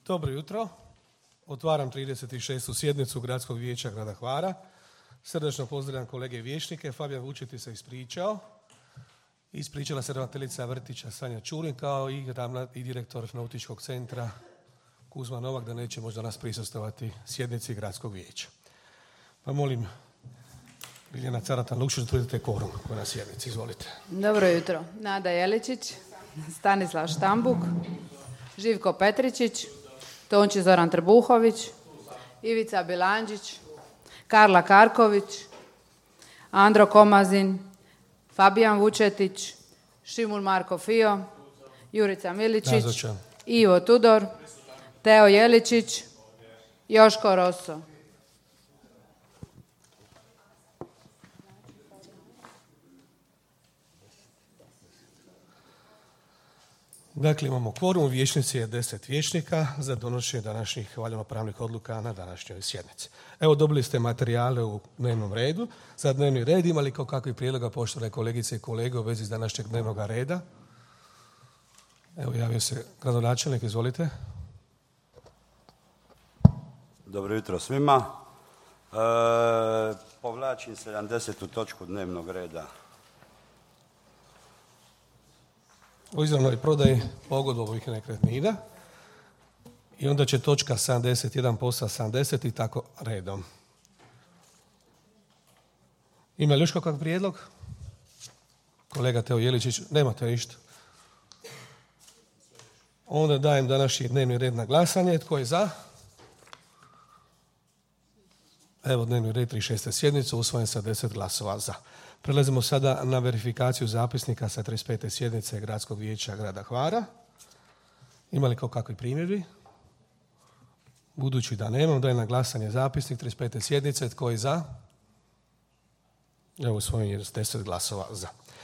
Dobro jutro. Otvaram 36. sjednicu Gradskog vijeća grada Hvara. Srdačno pozdravljam kolege vijećnike. Fabijan Vučetić se ispričao. Ispričala se ravnateljica vrtića Sanja Čurin kao i direktor nautičkog centra Kuzma Novak da neće možda nas prisustvovati sjednici Gradskog vijeća. Pa molim Biljana Caratan-Lukšić da utvrdite kvorum na sjednici. Izvolite. Dobro jutro. Nada Jeličić, Stanislav Štambuk, Živko Petričić, Tonči Zoran Trbuhović, Ivica Bilandžić, Karla Karković, Andro Komazin, Fabijan Vučetić, Šimul Marko Fio, Jurica Miličić, Nazočan. Ivo Tudor, Teo Jeličić, Joško Roso. Dakle, imamo kvorum, u vijećnici je 10 vijećnika za donošenje današnjih valjano-pravnih odluka na današnjoj sjednici. Evo, dobili ste materijale u dnevnom redu. Za dnevni red imali kao kakvi prijedloga, poštovane kolegice i kolege, u vezi s današnjeg dnevnog reda? Evo, javio se gradonačelnik, izvolite. Dobro jutro svima. Povlačim 70. točku dnevnog reda. O izravnoj prodaji pogodbovih nekretnina i onda će točka 71 posta 70 i tako redom. Ima li još kakav prijedlog? Kolega Teo Jeličić, nemate ništa. Onda dajem današnji dnevni red na glasanje. Tko je za? Evo dnevni red 36. sjednice, usvojen sa 10 glasova za. Prelazimo sada na verifikaciju zapisnika sa 35. sjednice Gradskog vijeća grada Hvara. Ima li kao kakvi primjedbi? Budući da nemam, dajem na glasanje zapisnik 35. sjednice. Tko je za? Evo usvojen je s 10 glasova za.